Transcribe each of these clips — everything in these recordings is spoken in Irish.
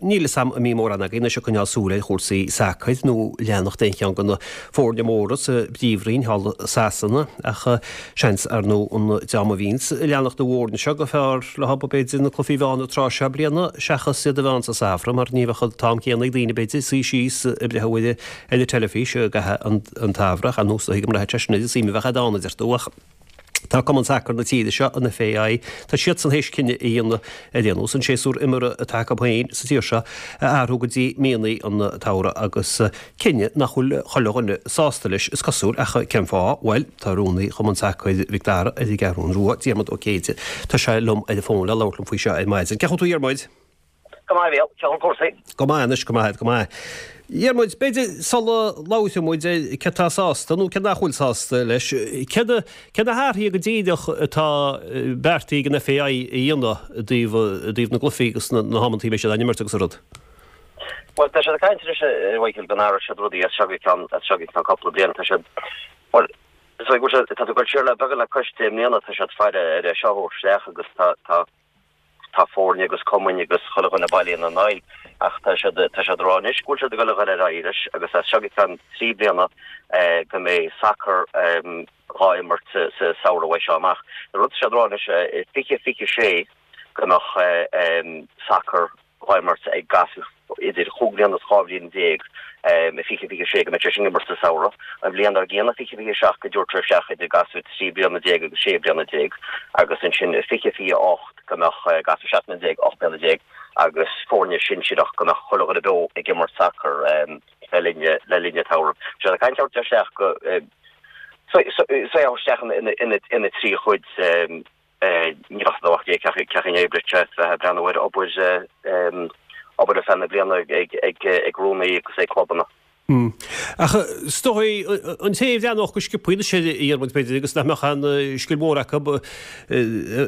Níl 'fhios a'm an mbíonn mórán agaibh anois ag coinneáil súil ar chúrsaí sacair nó leanacht aon cheann de na foirne móra sa bPríomhroinn thall i Sasana ach seans ar ndóigh an dream a bhíonns ag leanacht na bhfoirne seo gur fearr leo b'fhéidir na cluichí a bheith ann an tráth seo bliana seachas iad a bheith ann sa samhradh mar ní bheadh an t-am céanna ag daoine b'fhéidir suí síos ag breathnú ar an teilifís i gcaitheamh an tsamhraidh ach ar ndóigh is dóigh go mbraithfeadh sé sin ar an suim a bheadh ann a deir tú ach Tá Cumann Sacair na tíre seo, an FAI, tá siadsan théis cinneadh a dhéanamh ar aon nós, an séasúr imeartha atá acu féin sa tír seo a athrú go dtí míonna an tsamhraidh agus cinneadh nach bhfuil chuile dhuine sásta leis, is cosúil, ach cén fáth? Bhuel, tá Rúnaí Chumann Sacair Mhic Dara ar an gCeathrún Rua, Diarmuid Ó Céide, tá sé liom ar an bhfón le labhairt liom faoi seo ar maidin. Cén chaoi a bhfuil tú a Dhiarmuid? Go maith, a Mhíchíl. Cén chaoi cúrsaí? Go maith anois, go maith, go maith. Dhiarmuid, b'fhéidir sula labhróidh muid ar cé atá sásta nó cé nach bhfuil sásta leis, cé na, cé na hathruithe go díreach atá beartaithe ag an FAI a dhéanamh i dtaobh, i dtaobh na gcluichí agus na, na hamantaí a mbeidh siad á n-imirt agus an rud? Bhuel, tá siad ag caint anois, a Mhichíl, go n-athróidh siad rudaí as seo go ceann, as seo go ceann cúpla bliain. Tá siad, bhuel, is dóigh go bhfuil siad, tá tú ag dul siar le beagán le cois 10 mbliana, tá siad ag faire ar é seo a thabhairt isteach agus tá, tá, Tá foirne agus cumainn agus chuile dhuine bailithe ina n-aghaidh ach tá siad tá siad ag rá anois go bhfuil siad ag dul a dhul ar aghaidh leis agus as seo go ceann 3 bliana go mbeidh sacar dhá imirt sa samhradh uaidh seo amach. An rud atá siad ag rá anois i 2026 go mbeadh sacar dhá imirt ag gasúir idir chúig bhliana is 12 bhliain i 2026 go mbeidh sé sin ag imirt sa samhradh. An bhliain dár gcionn, 2027, go dtabharfar isteach idir gasúir 13 bliana agus 16 bliana agus ansin i 2028 go mbeadh gasúir 17 mbliana, 18 bliana agus foirne sinsearach go mbeadh chuile dhuine beo ag imirt sacar le linn le linn an tsamhraidh. Tá siad ag caint ar isteach go so so isteach ina thrí chuid. Ní bheadh ach cén chaoi a n-oibreodh sé bheith ag breathnú ar obair obair ar feadh na bliana ag rúnaí agus ag clubanna. Ach is dóigh an té a bhreathnódh go sciobtha anois air a Dhiarmuid b'fhéidir agus nach mbeadh aon scil mhór acu i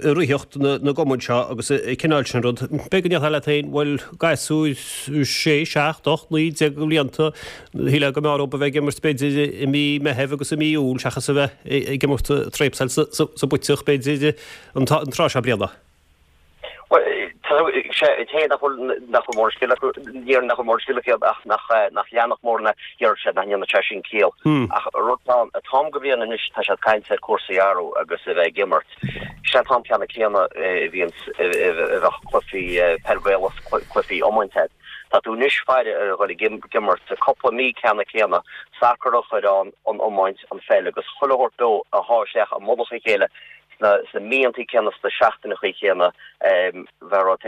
reathaíocht na gcumann seo agus an cineál sin rud, b'fhéidir go ndéarfá leat féin, bhuel, gasúir sé, seacht, ocht, 19 de bhlianta, Shílfeá go mb'fhearr dhóibh a bheith ag imirt b'fhéidir i mí Meithimh agus i mí Iúil seachas a bheith ag imirt tréapsáil sa bpuiteach b'fhéidir an tráth seo bliana. Bhuel, tá sé cé nach bhfuil nach bhfuil mórán scil acu, ní déarfainn nach bhfuil mórán scil acu ach nach nach leanfadh mórán a déarfadh siad nach ndéanfadh sé sin ciall. Ach rud atá an t-am go bhliain anois tá siad ag caint ar cúrsaí a athrú agus a bheith ag imirt. Sé an t-am ceanna céanna a bhíonns a bheadh cluichí peil Gaelach cluichí iomáint agat. Tá tú anois faire ar a dhul ag imirt cúpla mí ceanna céanna, sacar a chur ann, an iomáint, an pheil agus chuile shórt beo a shá isteach i mullach a chéile sna sna míontaí céanna, sna seachtaineachaí céanna, bheadh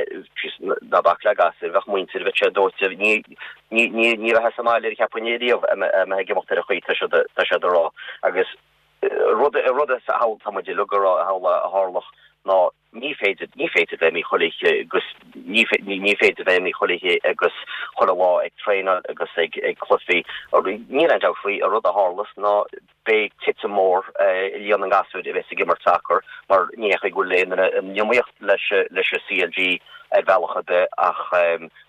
ná bac le gasúir, bheadh muintir, bheadh sé dóite, ní ní ní ní bheifeá sa mbaile ar cheapfainn riamh a mbeith ag imeacht ar an chaoi tá siad tá siad a rá. Agus rud rud a tá muid uilig a rá a tharlódh ná Ní féidir, ní féidir bheith imithe chuile oíche agus ní, ní féidir bheith imithe chuile oíche agus chuile lá ag traenáil agus ag, ag cluichí. Níl aon dabht faoi, an rud a tharlós ná beidh titim mór i líon na ngasúir a bheas ag imirt sacair mar ní hé go bhfuil aon duine in iomaíocht leis, leis an CLG ar bhealach ar bith ach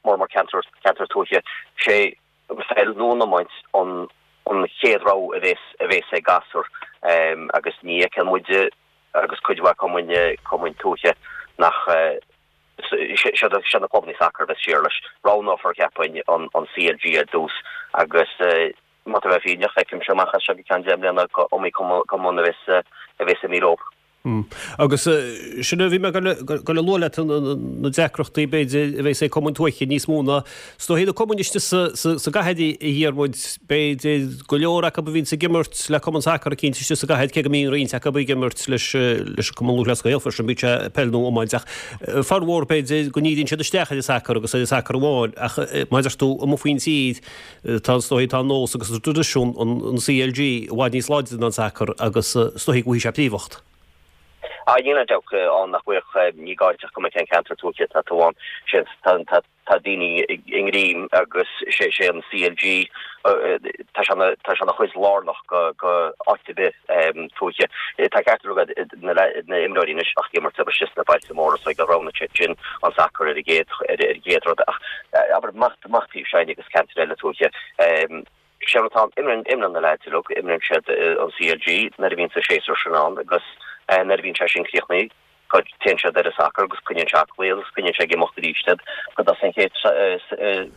mór mór ceantar, ceantar tuaithe. Sé an pheil nó an iomáint an, an chéad rogha a bheas, a bheas ag gasúr agus ní fheiceann muide agus cuid mhaith cumainn, cumainn tuaithe nach siad na clubanna sacair a bheas siar leis. Roghnófar, cheapfainn, an CLG ar dtús agus má tá bheith fírinneach, feicimse amach as seo go ceann 10 mbliana gur iomaí cumann a bheas a bheas imithe leo. Agus sin a bhí mé ag goil a lua leat, na deacrachtaí b'fhéidir a bheas ag cumainn tuaithe níos mó ná Is dóichí na cumainn istigh sa gcathair a Dhiarmuid, b'fhéidir go leor acu a bhíonns ag imirt le cumann sacair eicínt istigh sa gcathair, cé go mbíonn roinnt acu ag imirt leis an Cumann Lúthchleas Gael freisin, bíodh sé peil nó iomáint, ach formhór b'fhéidir go ndíríonn siad isteach ar an sacar agus ar an sacar amháin ach mar a deir tú amuigh faoin tír tá is dóichí tá an nós agus an traidisiún an CLG i bhfad níos láidre ná an sacar agus is dóichí go bhfaighidh sé príomhacht. Ah, níl aon dabht ann nach bhfuil, ní gá duit ach go mbeadh aon cheantar tuaithe atá tú ann, sin, tá, tá daoine i ngreim agus sé sé an CLG, tá sé ina, tá sé ina chuid lárnach go, go áit ar bith tuaithe. Tá ceart agat, na, na imreoirí anois ach ag imirt abair istigh sna bailte móra so go roghnaíonn siad sin an sacar ar an gcéad, ar an gcéad rud ach abair amach, amach taobh s'againne agus ceantair eile tuaithe. Sé rud atá ann, imríonn, imríonn na leaids uilig, imríonn siad an CLG nuair a bhíonn sa séasúr sin ann agus nuair a bhíonn sé sin críochnaithe. Go dtéann siad ar an sacar agus coinníonn sé aclaí agus coinníonn sé ag imeacht arís iad go dtosaíonn an chéad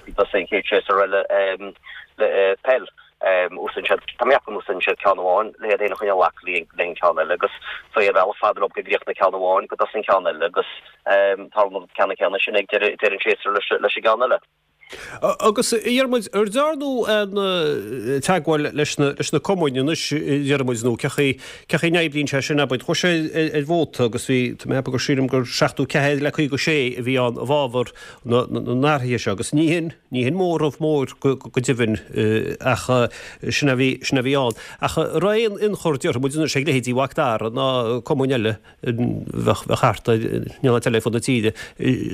go dtosaíonn an chéad séasúr eile le peil. Úsáideann siad, tá mé ag ceapadh go n-úsáideann siad ceann amháin le iad féin a choinneáil aclaí le an ceann eile agus so ar bhealach fada leo go gcríochnaíonn ceann amháin go dtosaíonn ceann eile agus tarlaíonn an ceann céanna sin ag deireadh an tséasúir leis an gceann eile. Agus, a Dhiarmuid, ar dearnadh aon teagmháil leis na cumainn anois, a Dhiarmuid, nó cén chaoi, cén chaoi a n-oibríonn sé sin, abair, chuaigh sé ar vóta agus bhí, tá mé ag ceapadh gur sílim gur 74 le 56 a bhí ann i bhfabhar na n-athruithe seo agus ní hin, ní hin móramh mór go deimhin ach sin a bhí, sin a bhí ann. Ach an raibh aon ionchur, déarfaidh muid anois, ag leithéidí Mhac Dara ná cumainn eile a bheadh thart ar, in aon áit eile ar fud na tíre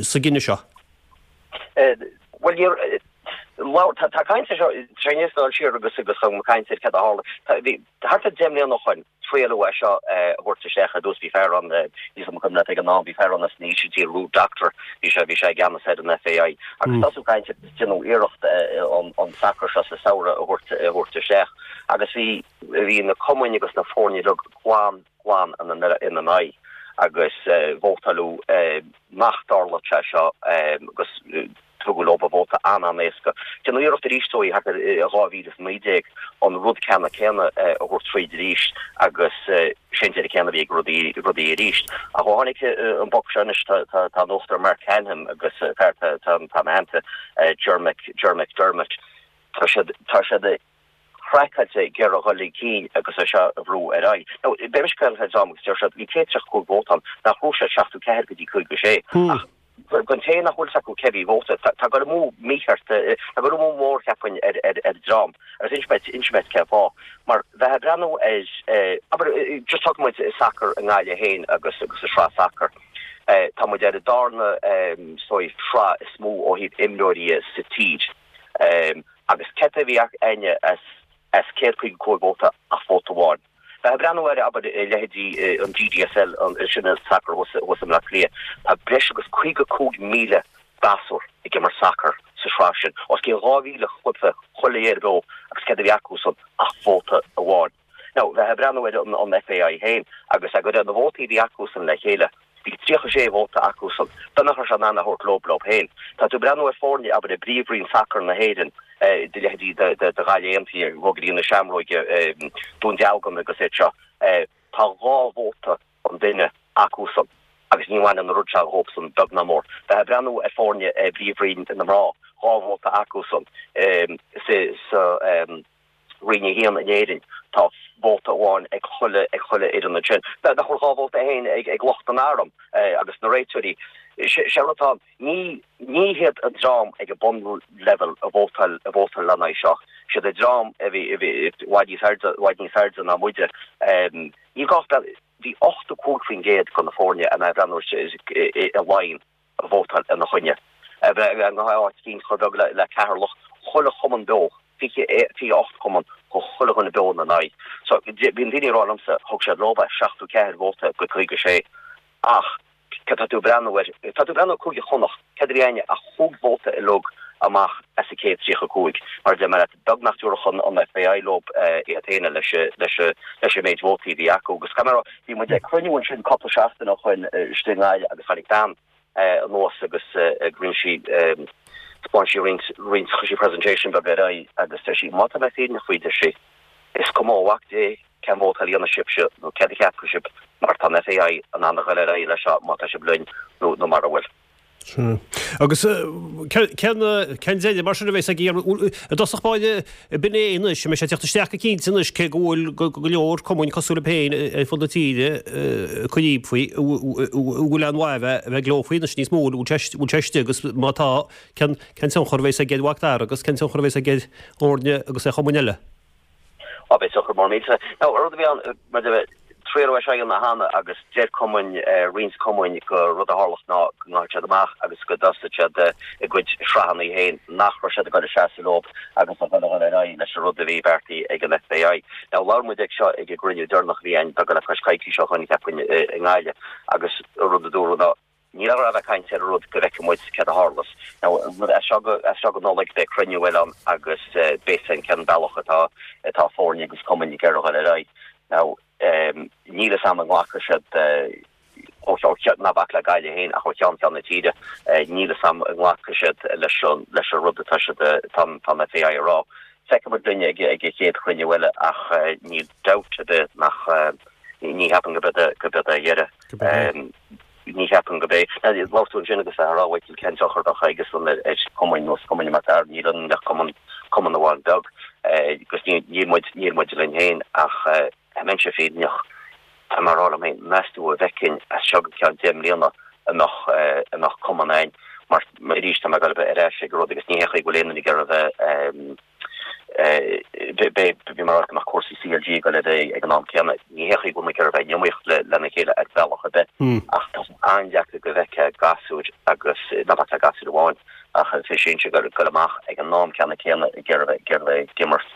sa gcinneadh seo? Bhuel, níor, labhair, tá, tá caint ar seo, tá sé níos dul siar agus agus chun caint ar céard a tharla. Tá, bhí, thart ar 10 mbliana ó shoin, triaileadh é seo a thabhairt isteach ar dtús, bhí fear ann, níl 's agam an cuimhin leat ag an am, bhí fear ann as an Ísiltír, Ruud Dokter, bhí sé, bhí sé i gceannas ar an FAI. Agus tosú caint agus déanadh iarracht an, an sacar seo sa samhradh a thabhairt, a thabhairt isteach. Agus bhí, bhí na cumainn agus na foirne uilig glan, glan ina, ina n-aghaidh agus vótáileadh, nach dtarlódh sé seo agus tugadh leo vóta an-an-éasca. Déanadh iarracht arís dóibh thart ar 2019 an rud ceanna céanna a thabhairt tríd arís agus sé an deireadh céanna a bhí ag rudaí rudaí arís. Ach ó tháinig an boc seo anois tá tá an Uachtarán Mark Cannham agus fear tá tá ina theannta Ger Ger McDermott tá siad tá siad craiceáilte ag iarraidh dhul chun cinn agus é seo a bhrú ar aghaidh. Now, beidh mise caol fed am agus deir siad, bhí 135 vóta ann, nach raibh sé 74 go dtí 56. Ach don té nach bhfuil 's acu cé bhí vóta, tá dul amú mícheart, tá dul amú mór cheapfainn ar ar dream. Agus inseoidh mé inseoidh mé cén fáth. Mar bheith ag breathnú ar, abair, just tógfaidh muid sacar i nGaillimh féin agus agus an sraith sacair. Tá muid ar an darna, is dóigh, sraith is mó ó thaobh imreoirí sa tír. Agus céard a bhí againne as 155 vóta ach vóta amháin. Bheith ag breathnú ar, abair, leithéidí an GDSL, sin an sacar thuas i mBleá Cliath, tá breis agus 55,000 gasúr ag imirt sacair sa sraith sin, os cionn 2,000 cluiche chuile gheimhreadh beo agus céard a bhí acusan ach vóta amháin. Now, bheith ag breathnú ar an FAI féin agus ag na vótaí a bhí acusan le chéile, bhí 36 vóta acusan, b'fhéidir nach raibh sé in ann a thabhairt leo leo féin. Tá tú ag breathnú ar foirne, abair, i bPríomhroinn Sacair na hÉireann, de leithéidí de Ghaillimh Aontaithe, Rógairí na Seamróige, Dún Dealgan agus iad seo, tá 2 vóta an duine acusan agus ní bhaineann an rud seo dhóibhsan beag ná mór. Bheith ag breathnú ar foirne i bPríomhroinn na mná, 2 vóta acusan sa. Roinn 1 in Éirinn, tá vóta amháin ag chuile ag chuile fhoireann ansin. Nach bhfuil 2 vóta féin ag ag lucht an airm agus na réiteoirí. Sé an rud atá ann, ní ní hiad an dream ag an bunleibhéal a vótáil a vótáil lena aghaidh seo. Siad an dream a bhí a bhí i bhfad níos airde i bhfad níos airde ná muide. Ní gá bhí 85% de na foirne a mbreathnú i Laighin. a vótáil ina choinne. Bheith in áit éicint chomh beag le Ceatharlach, chuile chumann beo, 28 cumann, chuile dhuine beo ina n-aghaidh. So, bíonn daoine ag rá liomsa, thug siad leo é, 74 vóta go 56. Ach, céard tá tú ag breathnú air, tá tú ag breathnú ar Cúige Chonnacht, céard a bhí againne ach chúig vóta uilig amach as an 135. Mar a deir mé leat, beag nach dtabharfadh an FAI leo iad féin leis an méid vótaí a bhí acu. Agus caithfidh mé a rá, bhí muid ag cruinniú ansin cúpla seachtain ó shoin istigh i nGaillimh agus tháinig bean anuas agus rinne sí, 'spáin sí roinnt, roinnt, chuir sí presentation beag ar aghaidh agus deir sí, má tá mé fírinneach faoi, deir sí, is cuma ó mhac Dé cén vótáil a dhéanfaidh sibhse nó céard a cheapfaidh sibh mar tá an FAI in ann a ghoil ar aghaidh leis seo má tá sibh linn nó nó mara bhfuil. Sea. Agus cén deireadh mar sin a bheas ag iarraidh, i dtosach báire, b'in é anois, an mbeidh sé ag teacht isteach go cinnte anois cé go bhfuil go leor cumainn cosúil libh féin ar fud na tíre ag cur íob faoi, an bhfuil aon mhaith a bheith ag gleo faoi anois níos mó, an bhfuil sé istigh agus má tá, cén tionchar a bheas aige ar Mhac Dara agus cén tionchar a bheas aige ar fhoirne agus ar chumainn eile? Á, beidh tionchar mór millteach. Now, rud a bhí ann, mar a deir, triaileadh é seo a dhéanamh cheana agus deir cumainn, roinnt cumainn go rud a tharlódh ná go ngabhfadh siad amach agus go dtosódh siad a gcuid sraitheanna féin, nach raibh siad ag dul ag seasamh leo agus a dhul a dhul ar aghaidh leis an rud a bhí beartaithe ag an FAI. Now, labhair muid ag seo ag an gcruinniú deireanach a bhí againn beag le cois coicíse ó shoin, cheapfainn, i nGaillimh agus an rud a dúradh ná, Níl a bheith ag caint ar an rud go bhfeicfidh muid céard a tharlós. Now, as seo go, as seo go Nollaig beidh cruinniú eile ann agus beidh fhios againn cén bealach atá, atá foirne agus cumainn ag iarraidh dhul ar aghaidh. Now, níl fhios a'm an nglacfaidh siad. Ó ná bac le Gaillimh féin ach ó cheann ceann na tíre. Níl fhios a'm an nglacfaidh siad leis an leis an rud atá siad atá an FAI a rá. Feicfidh muid linn ag ag an chéad chruinniú eile ach níl dabht ar bith nach ní cheapaim go b'ead é go b'ead é a dheireadh. Ní cheapaim go b'é. Labhair tú ansin agus a rá Mhichael cén tionchar a bheadh aigesan ar ar chumainn nó cumainn mar fear níl ann ach cumann cumann amháin beag agus níl muid níl muid linn féin ach Dá mbeinnse fírinneach, tá mé ag rá liom féin, meas tú an bhfeicfinn as seo go ceann 10 mbliana an mbeadh, an mbeadh cumann againn mar arís tá mé ag dul ar ais ag an rud agus ní hé chaoi go bhfuil aon duine ag iarraidh a bheith, bhí mé ag rá go mbeadh cúrsaí CLG ag dul ar aghaidh ag an am céanna, ní hé chaoi go bhfuil muid ag iarraidh a bheith in iomaíocht lena chéile ar bhealach ar bith ach tá sé an-deacair go bhfeicfeá gasúir agus, ná bac le gasúir amháin ach an fir sinsir ag dul amach ag an am ceanna céanna ag iarraidh ag iarraidh a bheith ag imirt.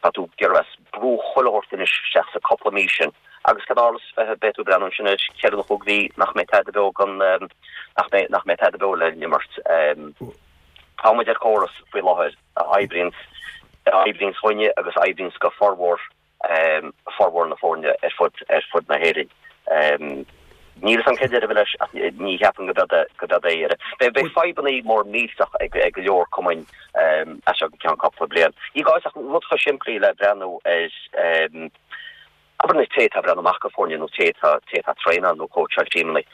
Tá tú ag iarraidh a bheith ag brú chuile shórt anois isteach sa cúpla mí sin agus cad a tharlós beidh tú ag breathnú ansin ar cheithre nó chúig mhí nach mbeidh tada beo gan nach mbeidh nach mbeidh tada beo le n-imirt. Tá muid ar chóras faoi láthair a oibríonns a oibríonns dhúinne agus a oibríonns go formhór formhór na foirne ar fud ar fud na hÉireann. Níl fhios a'm cén deireadh leis ach ní cheapaim go b'ead é go b'ead é a dheireadh. Beidh beidh fadhbanna mór millteach ag ag go leor cumainn as seo go ceann cúpla bliain. Ní gá ach rud chomh simplí le breathnú ar abair na té atá ag breathnú amach go foirne nó té atá té atá traenáil nó cóitseáil tímeanna.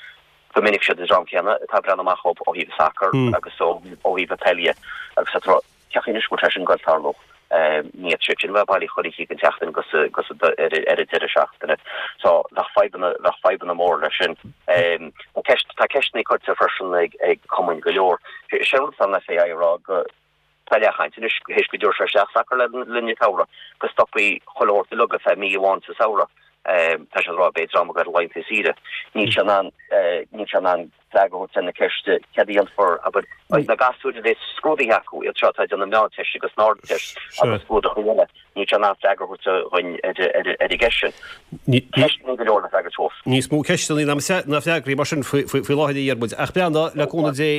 Go minic siad an dream céanna atá ag breathnú amach ó ó thaobh an sacar agus ó ó thaobh an peile agus tá Cén chaoi anois go bhfuil sé sin ag goil tarlú. Ní fhéadfaidh siad sin a bheith bailithe chuile oíche den tseachtain agus agus ar an deireadh seachtaine. So bheadh fadhbanna bheadh fadhbanna mór leis sin. Tá ceist tá ceisteanna curtha freisin ag ag cumainn go leor. Sé an rud atá an FAI a rá go tá leathchaint anois théis go dtabharfaidh sé isteach sacar le linn an tsamhraidh go stopfaí chuile shórt uilig ar feadh mí amháin sa samhradh. Tá sé ag rá beidh dream ag goil ar laethanta saoire. Níl sé in ann níl sé in ann freagra a thabhairt ar na ceiste céard a dhéanfar, abair, na gasúir a bheas scrúdaithe acu, iad seo atá ag déanamh Meánteist agus an Ardteist agus scrúduithe eile, níl sé in ann freagra a thabhairt dhuinn ar an gceist sin. Ceisteanna go leor le freagairt fós. Níos mó ceisteanna ná freagraí mar sin faoi láthair a Dhiarmuid. Ach breathnaigh, le cúnamh Dé,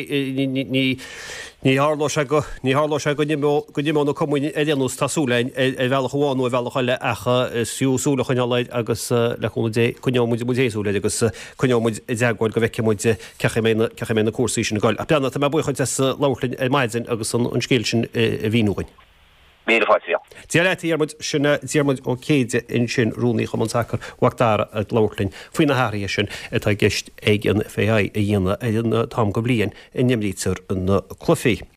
ní tharlóidh sé go, ní tharlóidh sé go n-imeoidh na cumainn ar aon nós, tá súil againn, ar bhealach amháin nó ar bhealach eile ach is fiú súil a choinneáil air agus le cúnamh Dé coinneoidh muid muid féin súil air agus Coinneoidh muid i dteagmháil go bhfeicfidh muid cén chaoi a mbeidh na cúrsaí sin ag goil. Ach Breandán, tá mé buíoch duit as labhairt linn ar maidin agus an scéal sin a mhíniú dhuinn. Míle fáilte, a Mhícheáil. Dia leat, a Dhiarmuid. Sin Diarmuid Ó Céide ansin, Rúnaí Chumann Sacair Mhac Dara ag labhairt linn faoi na hathruithe sin atá i gceist ag an FAI a dhéanamh ar an t-am den bhliain a n-imrítear na cluichí.